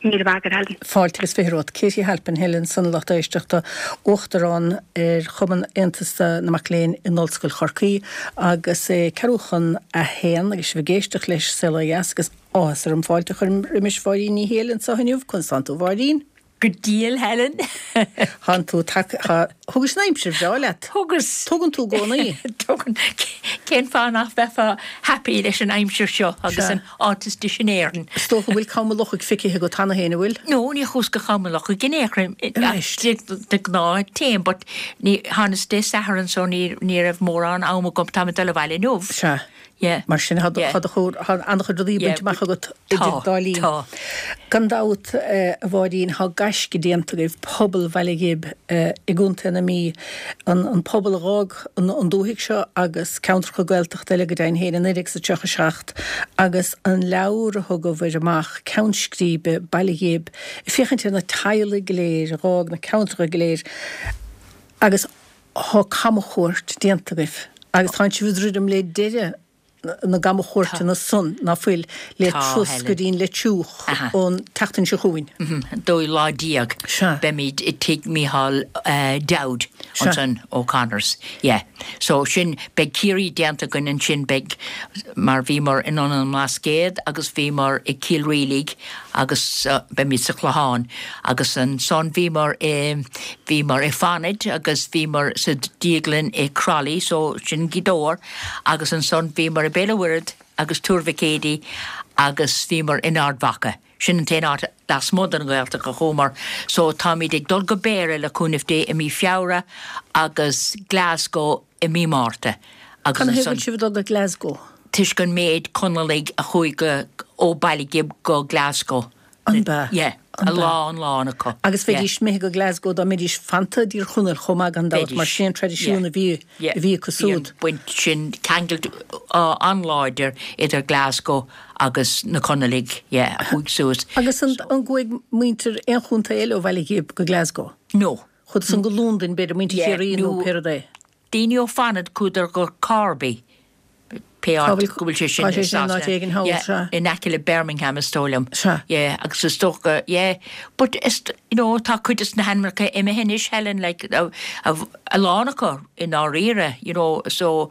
Míle maith agat, Helen. Fáilte agus 20 romhat. Katie Halpin, Helen ansan a lucht éisteachta, Uachtarán ar Chumann Aontas na Mac Léinn in Ollscoil Chorcaí agus é ceathrú chun a haon agus sibh ag éisteacht leis Saol Ó Dheas agus áthas orm fáilte a chur roimis Mháirín Ní Shiail anseo inniu. Conas tánn tú, a Mháirín? Go diail, Helen. Thánn tú tagtha, thá, thugais an aimsir bhreá leat. Thugas. Tugann tú i gcónaí. Tugann. Cén fáth nach mbeifeá happy leis an aimsir seo agus an áit is deise in Éirinn? Is dócha go bhfuil Cam an Lochaigh feicthe agat cheana féin, an bhfuil? No, ní chuas go Cam an Lochaigh in aon chor. Anois. De ghnáth téim, but ní, thánas Dé Sathairn so ní, ní raibh mórán am agam, táim ag dul abhaile inniu. Sea. Yeah. Mar sin, tá an-chuid rudaí bainte amach agat idir dá linn. Tá. Gan dabht, a Mháirín, tá gaisce déanta agaibh, pobal Bhaile Ghib i gContae na Mí, an pobal a dh'fhág an dúthaigh seo agus ceantracha Gaeltachta eile go deimhin féin i 1937 agus an leabhar a thugabhair amach, Ceann Scríbe, Baile Ghib, ag féachaint ar na teaghlaigh go léir a dh'fhág na ceantracha go léir agus Tá camchuairt déanta agaibh agus tánn sibh ag druidim le deireadh na gcamchuairteanna san, ná fuil, le turas go dtí an Leitriúch an tseachtain seo chugainn. An dóú lá déag beimid i tigh Mícheál Dowd ansan, O'Connors. Yeah. So sin, beidh Ciarraí déanta againn ansin, beidh, mar bhíomar i nDún na mBlascaod agus bhíomar i Cill Rialaig agus beimid sa Chlochán agus ansan bhíomar i, bhíomar i Fanad agus bhíomar sa díoglann i Crolly so sin Gaoth Dobhair agus ansan bhíomar i Béal an Mhuirthead agus Tuar Mhic Éadaigh agus bhíomar in Ard Mhacha. Sin an t-aon áit lasmuigh den Ghaeltacht a chuamar so táimid ag dul go Béarra le cúnamh Dé i mí Feabhra agus Glasgow i mí Márta agus ansan. Canathaobh a bhfuil sibh ag dul go Glasgow? toisc an méid Conallaigh a chuaigh go, ó Baile Ghib go Glasgow. An b'ea? Yeah, a lán, lán acu. Agus bheidís imithe go Glasgow dá mbeidís fanta i dTír Chonaill chomh maith gan dabht, mar sin an traidisiún a bhí, a bhí acu siúd. Bhí an baint sin, ceangal an-láidir idir Glasgow agus na Conallaigh, yeah, a chuaigh suas. Agus an, an gcuaigh muintir aon chontae eile ó Bhaile Ghib go Glasgow? No. Chuadar san go Londain, b'fhéidir, muintir Chiarraí nó pé rud é? Daoine ó Fanad chuadar go Corby, pé áit go bhfuil sé sin i Sasana, yeah, in aice le Birmingham is dóigh liom, yeah, agus is dócha, yeah, but is, you know, tá cuid de na hainmneacha imithe anois, Helen, like, a lán acu i ndáiríre, you know, so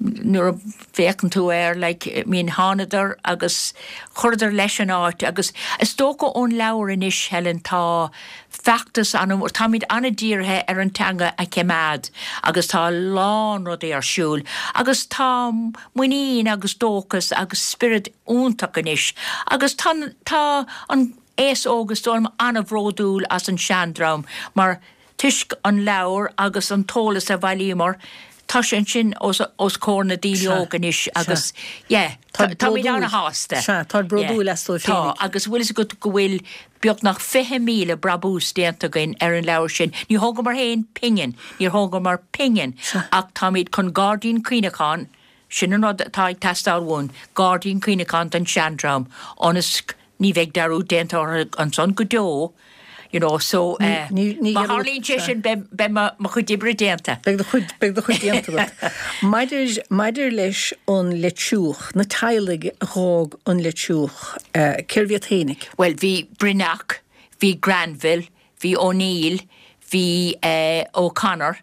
nuair a bhféachann tú air, like, I mean, thánadar agus chuireadar leis an áit agus is dócha ón leabhar anois, Helen, tá feachtas an-mhór, táimid an-dírithe ar an teanga a choimeád agus tá a lán rudaí ar siúl agus tá muinín agus dóchas agus spiorad iontach anois agus tá, tá an aos óg is dóigh liom an-bhródúil as an seandream mar Toisc an leabhar agus an t-eolas a bhailíomar, tá sé ansin os os comhair na daoine óga anois agus yeah, táimid an-shásta. Sea, táid bródúil astu féinig. Tá, agus bhfuil fhios agat go bhfuil beagnach 20,000 brabús déanta againn ar an leabhar sin. Ní thógamar féin pingin, níor thógamar pingin, ach táimid chun gairdín cuimhneacháin, sin an rud atá ag teastáil uainn, gairdín cuimhneacháin don seandream, ionas Ní bheidh dearúd déanta orthu ansan go deo, you know, so eh, má tharlaíonn sé sin beidh, beidh mo, mo chuid oibre déanta. Beidh do chuid, beidh do chuid déanta agat. Maidir, maidir leis an Leitriúch, na teaghlaigh a dh'fhág an Leitriúch, eh, cérbh iad fhéinig? Bhuel, bhí Broineach, bhí Granville, bhí O'Neill, bhí eh, O'Connor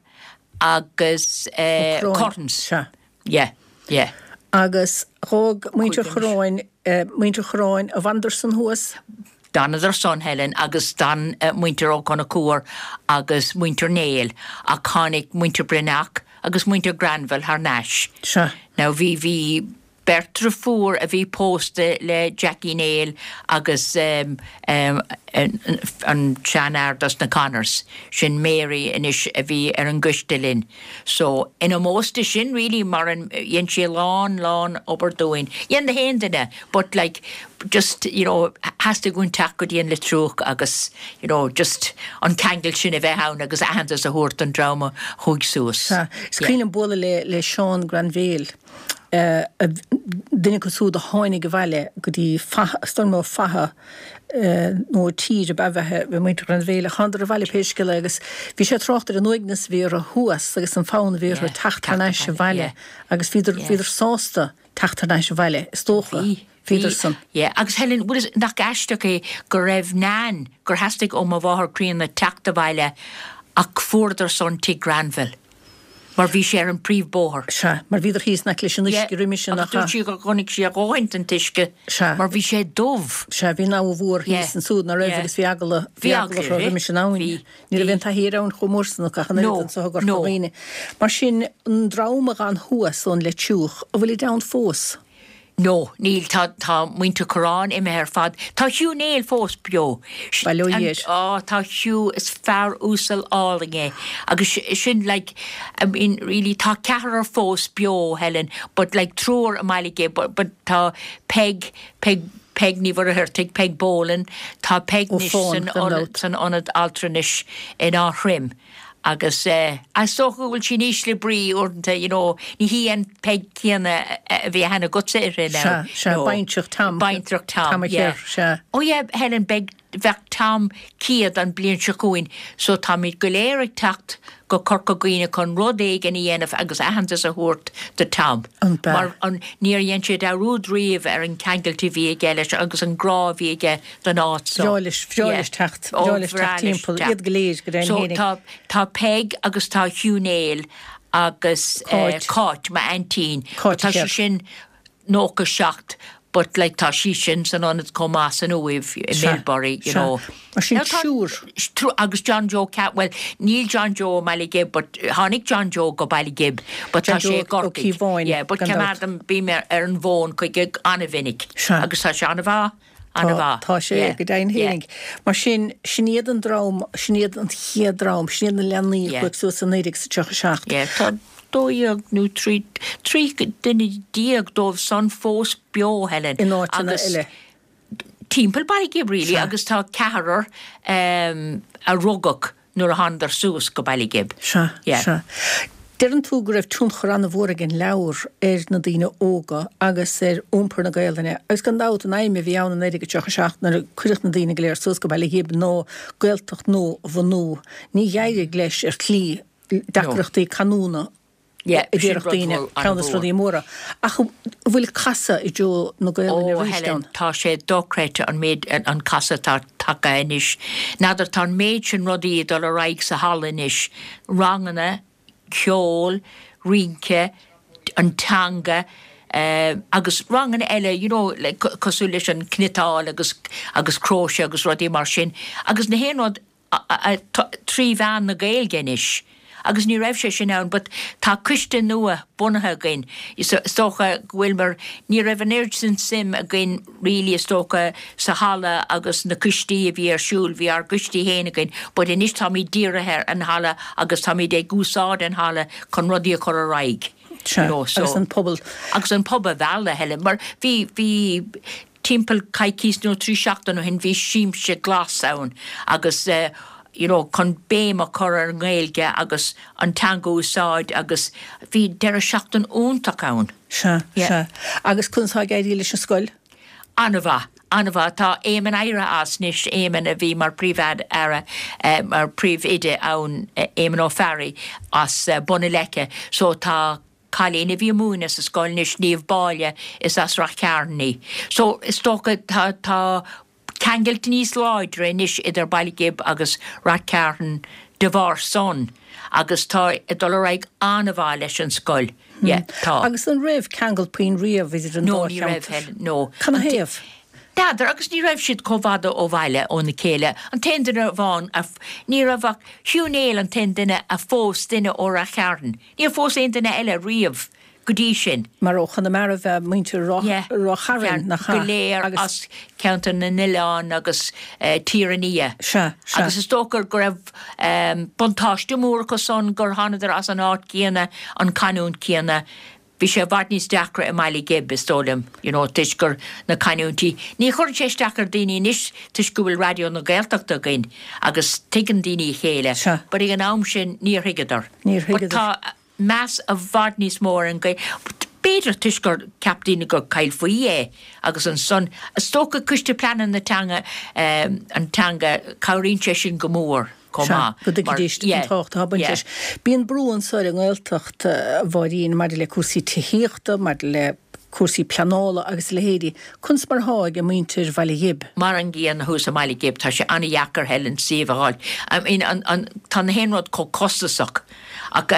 agus eh, Ó Curráin. Curtins. Sea. Yeah, yeah. Agus dh'fhág muintir Churráin, muintir Churráin, an bhfanadar san thuas? D'fhanadar san, Helen, agus d'fhan muintir Ó Conchúir agus muintir Néill, ach tháinig muintir Broineach agus muintir Granville thar n-ais. Sea. Now bhí, bhí beirt driofúr a bhí pósta le Jackie Néill agus an seanfhear dos na Connors, sin Mary anois a bhí ar an gcoiste linn. So, in ómós di sin really mar an, dhein sí a lán, lán obair dúinn. Dhein na haon duine but like just, you know, theastaigh uainn teacht go dtí an Leitriúch agus, you know, just an ceangal sin a bheith ann agus aitheantas a thabhairt don dream a chuaigh suas. Sea. Is cuimhin liom bualadh le, le Seán Granville. duine acu siúd a tháinig abhaile go dtí Faiche, is dóigh liom ó Faiche nó tír ab ea bheith muintir Ghranville, thánadar abhaile pé scéal é agus bhí sé ag trácht ar an uaigneas a bhí orthu thuas agus an fonn a bhí orthu teacht thar n-ais abhaile agus bhíodar, bhíodar sásta teacht thar n-ais abhaile, is dócha, bhíodar san. Yeah, agus Helen, bhfuil, nach aisteach é go raibh Nan, gur theastaigh ó mo mháthair críonna teacht abhaile ach fuaireadar san tigh Granville. Mar bhí sé ar an príomhbóthar. Sea, mar bhíodar thíos in aice leis an uisce roimhe sin, nach ea? Agus dúirt sí gur chonaic sí a dhóthain den t-uisce mar bhí sé dubh. Sea, bhí an abha mhór thíos ansúd, ná raibh, agus bhí eagla, bhí eagla orthu roimis an abhainn. Bhí. Ní raibh aon taithí ar abhainn chomh mór san acu ach an oiread anso i gCorca Dhuibhne. Mar sin, an dream a dh'fhan thuas ón Leitriúch, an bhfuilid ann fós? No, níl, tá, tá muintir Churráin imithe ar fad. Tá Hugh Néill fós beo. Bail ó Dhia air. Á, tá Hugh, is fear uasal álainn é. Agus sin like, I mean, really, tá ceathrar fós beo, Helen, but like triúr i mBaile Ghib, but, but tá Peig, Peig, Peig Ní Mhuircheartaigh, Peig Boland, tá Peig anois san ionad, san ionad altranais in Áth Throim. Agus eh, is dócha go bhfuil sí in ísle brí uaireanta, you know, ní hí an Peig céanna a bhí aithne agatsa uirthi now. Sea, sea, baintreach Tom. Baintreach Tom, Tom a yeah. Chir, sea. Oh yeah, Helen, beidh, bheadh Tom 100 an bliain seo chugainn, so táimid go léir ag teacht go Corca Dhuibhne chun rud éigin a dhéanamh agus aitheantas a thabhairt do Tom. An b'ea? Mar an, níor dhein sé dearúd riamh ar an ceangailt a bhí aige leis agus an grá a bhí aige don áit so. Bhreá leis, bhreá leis teacht, bhreá leis teacht timpeall, iad go léir, go deimhin So fhéinig. tá, tá Peig agus tá Hugh Néill agus Cáit. Cáit, m'aintín. Cáit Tá sí Chéad. sin 97 but like tá sí sin san ionad chomh maith san Uaimh i Sea, Milbury, you sea. know. Mar sin Now tá triúr. triúr agus John Joe Ca-, bhuel níl John Joe i mBaile Ghib but tháinig John Joe go Baile Ghib but John tá sé Joe i Ó gCorcaigh. Cíobháin, Yeah, but gan dabht. coimeádaim, bím ar ar an bhfón chuige an-mhinic Sea. agus tá sé an-mhaith. Tá, tá sé, go deimhin fhéinig. Mar sin, sin iad an dream, sin iad an chéad dream, sin iad na leanaí a chuaigh suas i 1937. Yeah, tá 12 nó 13, 13 duine dóibh san fós beo, Helen. In áiteanna eile. Timpeall Baile Ghib, really, agus tá ceathrar a rugadh nuair a thánadar suas go Baile Ghib. Sea, sea. Deireann tú go raibh tionchar an-mhór ag an leabhar ar na daoine óga agus ar iompar na Gaelainne agus gan dabht an aidhm a bhí ann i 1937 nuair a cuireadh na daoine go léir suas go Baile Ghib ná Gaeltacht nua a bhunú. Ní d'éirigh leis ar shlí deacrachtaí canúna Yeah, a sin déarfadh rud daoine, mhór, ceann de na an-mhór. rudaí móra. Ach an bhfuil casadh i dtreo na Gaelainne Ó, arís Helen, ann? tá sé dochreidte an méid, an casadh atá tagtha anois. N'fheadar, tá an méid sin rudaí ag dul ar aghaidh sa halla anois, ranganna, ceol, rince, an teanga, agus ranganna eile, you know, like, cosúil leis an cniotáil agus, agus cróise agus rudaí mar sin. Agus na haon rud, 3 mheán na Gaeilge anois agus ní raibh sé sin ann but tá coiste nua bunaithe againn is dócha go bhfuil mar ní raibh an oiread sin suim againn really is dócha sa halla agus na coistí a bhí ar siúl, bhí ár gcoistí féin againn but anois táimid dírithe ar an halla agus táimid ag úsáid an halla chun rudaí a chur ar aghaidh. Sea, You know, so, agus an pobal. Agus an pobal a mhealladh, Helen, mar bhí, bhí timpeall coicís nó 3 seachtain ó shin bhí siamsa glas ann agus you know chun béim a chur ar an nGaeilge agus an teanga a úsáid agus bhí deireadh seachtain iontach ann. Sea, Yeah. sea. Agus conas atá ag éirí leis an scoil? An-mhaith, an-mhaith. Tá Éamonn éirithe as anois, Éamonn a bhí mar Príomh-Aire, mar Príomh-Oide ann, Éamonn Ó Fearraigh as Bun na Leice. So tá cailín a bhí ag múineadh sa scoil anois, Niamh Báille, is as Rath Chairn í. So is dócha tá, tá ceangailt níos láidre anois idir Baile Ghib agus Rath Cairn de bharr san agus tá ag dul ar aghaidh an-mhaith leis an scoil. Yeah, tá. Agus an raibh ceangal puinn riamh idir an No, dá ní raibh, cheantar? Helen, no. Canathaobh? N'fheadar, agus ní raibh siad chomh fada ó bhaile óna chéile. An t-aon duine amháin a, ní raibh ach Hugh Néill an t-aon duine a phós duine ó Rath Chairn. Níor phós aon duine eile riamh go dtí sin. Mar ó Chonamara ab ea muintir Ráth Yeah. Chairn, nach ea? Go léir Agus. as Ceantar na nOileán agus Tír an Fhia. Sea, sea. Agus is dócha go raibh buntáiste mór acu san gur thánadar as an áit céanna, an canúint céanna. Bhí sé i bhfad níos deacra i mBaile Ghib, is dóigh liom, you know, toisc gur na canúintí. Ní chuireann sé isteach ar daoine anois toisc go bhfuil Raidió na Gaeltachta againn agus tuigeann daoine a chéile. Sea. But ag an am sin níor thuigeadar. Níor But thuigeadar. tá meas i bhfad níos mó ar an Ghaeilge. B'fhéidir toisc gur cheap daoine gur caill faoi é agus ansan, is dócha Coiste Pleanála na Teanga, an teanga, cabhraíonn sé sin go mór chomh Sea, maith. go dtuigfidís an tábhacht atá ag baint leis. Bíonn brú anso ar an nGaeltacht, a Mháirín, maidir le cúrsaí tithíochta, maidir le cúrsaí pleanála agus a leithéidí. Conas mar atá ag muintir Bhaile Ghib? Mar an gcéanna thuas i mBaile Ghib, tá sé an-dheacair, Helen, suíomh a fháil. I mean, an, an, tá na haon rud chomh costasach. Ach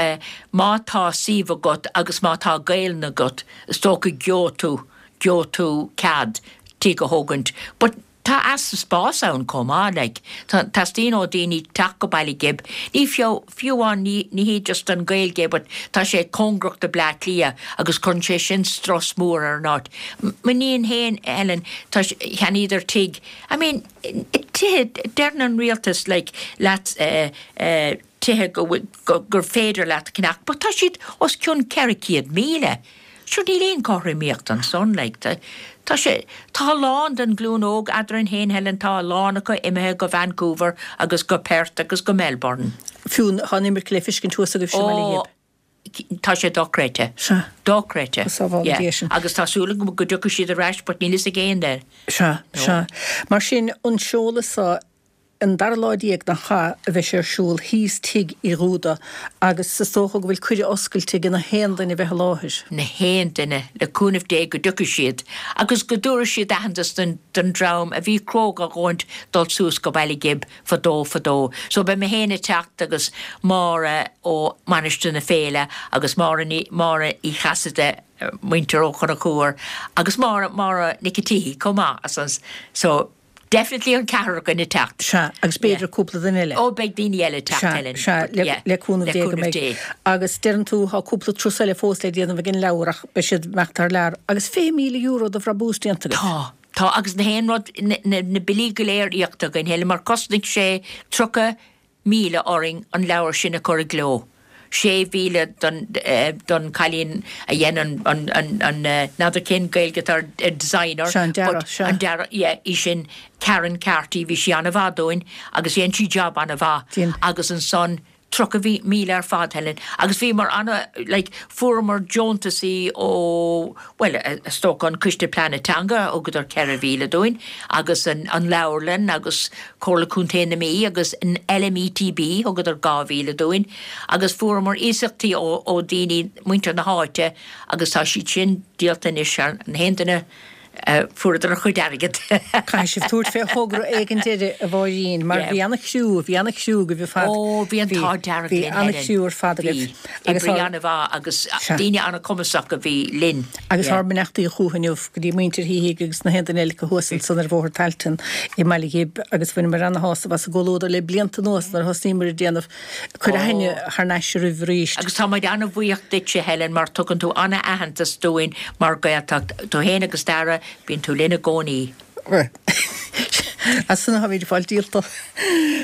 má tá suíomh agat agus má tá Gaelainn agat, is dócha gheobhaidh tú, gheobhaidh tú cead tigh a thógaint. But. Tá easpa spáis ann chomh maith, like. Tá, teastaíonn ó daoine teacht go Baile Ghib, ní fiú, fiú amháin, ní, ní hé just an Ghaeilge but tá sé cóngarach do Bleá Cliath agus cuireann sé sin strus mór ar an áit. M'iníon féin, Helen, tá, cheannaíodar tigh, I mean, tithe, deireann an rialtas like leat eh, eh, tithe go bhfuil, go, gur féidir leat a cheannach but tá siad os cionn 400,000. Sure níl aon chothromaíocht ansan like tá, tá sé, tá a lán den ghlúin óg eadrainn féin Helen, tá a lán acu imithe go Vancouver agus go Perth agus go Melbourne. Fiú tá an imirce le fiscint thuas agaibhse i mBaile Ghib. Ó, tá sé dochreidte. Sea. Dochreidte. Go sábhála Yeah. Dia sinn. Agus tá súil agam go dtiocfaidh siad ar ais but níl fhios ag aon duine. Sea, sea. Mar sin, an seoladh so, An dara lá déag nach ea a bheidh sé ar siúl thíos Tigh Uí Dhúda agus is dócha go bhfuil cuireadh oscailte ag na haon duine bheith i láthair. Na haon duine, le cúnamh Dé go dtiocfaidh siad agus go dtabharfaidh siad aitheantas don dream a bhí cróga a dhóthaint dul suas go Baile Ghib fadó fadó. So beidh mé féin ag teacht agus Máire ó Mainistir na Féile agus Máire Ní, Máire Uí Chasaide, muintir Ó Conchúir agus Máire, Máire Nic an tSíthigh chomh maith as an, so. Definitely an ceathrar againn ag teacht. Sea, agus b'fhéidir cúpla duine eile. Ó, beidh daoine eile ag teacht, Sea, Helen. sea, But, le, yeah, le cúnamh le Dé go cúnamh mbeidh. Dé. Agus deireann tú, tá cúpla turas eile fós le déanamh ag an leabhar ach beidh siad ag imeacht thar lear. Agus €20,000 de bhrabús déanta agaibh. Tá, tá, agus na haon rud, na, na, na billí go léir íoctha againn, Helen, mar chosnaigh sé 30,000 orainn an leabhar sin a chur i gcló. 6,000 don, don chailín a dhein an, an, an, an, n'fheadar cén Gaeilge atá ar, ar designer. Sea, an dearadh, but sea. An dearadh, yeah, í sin, Karen Carty, bhí sí an-mhaith dúinn agus dhein sí job an-mhaith. Dhein. Agus ansan 30,000 ar fad, Helen. Agus bhíomar ana, like, fuaireamar deontasaí ó, bhuel, is dócha an Coiste Pleanála Teanga, thugadar 4,000 dúinn, agus an, an Leabharlann agus Comhairle Contae na Mí agus an LMETB, thugadar 2,000 dúinn, agus fuaireamar iasachtaí ó, ó daoine, muintir na háite, agus tá siad sin díolta anois, an haon duine, fuaireadar a chuid airgid. Caithfidh sibh tabhairt fé thogra éigin deiridh, a Mháirín, mar bhí ana-chriú, bhí ana-chriú agaibh ar fad. Ó, bhí an t-ádh dearg Bhí linn, Helen. ana-chriú ar fad agaibh. Bhí. Oibrí an-mhaith agus daoine an-chumasach a bhí linn. Agus ár mbeannachtaí chucu inniu go dtí muintir Shíthigh agus na haon duine eile acu thuas ansan ar Bhóthar Tailteann i mBaile Ghib agus bhaineamar ana-shásamh as an gcomhluadar le blianta anuas nuair a thosnaíomar ag déanamh cur aithne thar n-ais oraibh arís. Agus tá muid an-bhuíoch duitse, Helen, mar tugann tú an-aitheantas dúinn mar Ghaeltacht. Tú fhéin agus Dara, bíonn tú linn i gcónaí. As san táimid ag fáil díolta.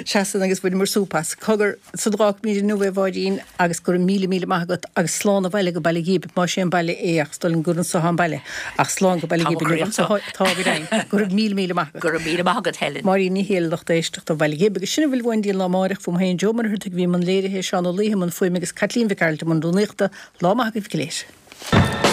Sea san agus bhaineamar súp as. Cogar, san d'fhágfaimid inniu é a Mháirín agus go raibh míle míle maith agat agus slán abhaile go Baile Ghib, más é an baile é ach is dóigh liom gur anso atá an baile ach slán go Baile Tá Ghib mo inniu chroí ach anso. tá go deimhin. Go raibh míle míle maith agat. Go raibh míle maith agat Helen. Máirín Ní Shéaghdha lucht éisteachta ó Bhaile Ghib agus sin a bhfuil uainn go dtí an lá amáireach fúm féin Joe Ó Muircheartaigh a bhí i mbun léirithe, Seán Ó Laoithe i mbun fuaime agus Caitlín Mhic Gearailt i mbun rúnaíochta. Lá maith agaibh go léir.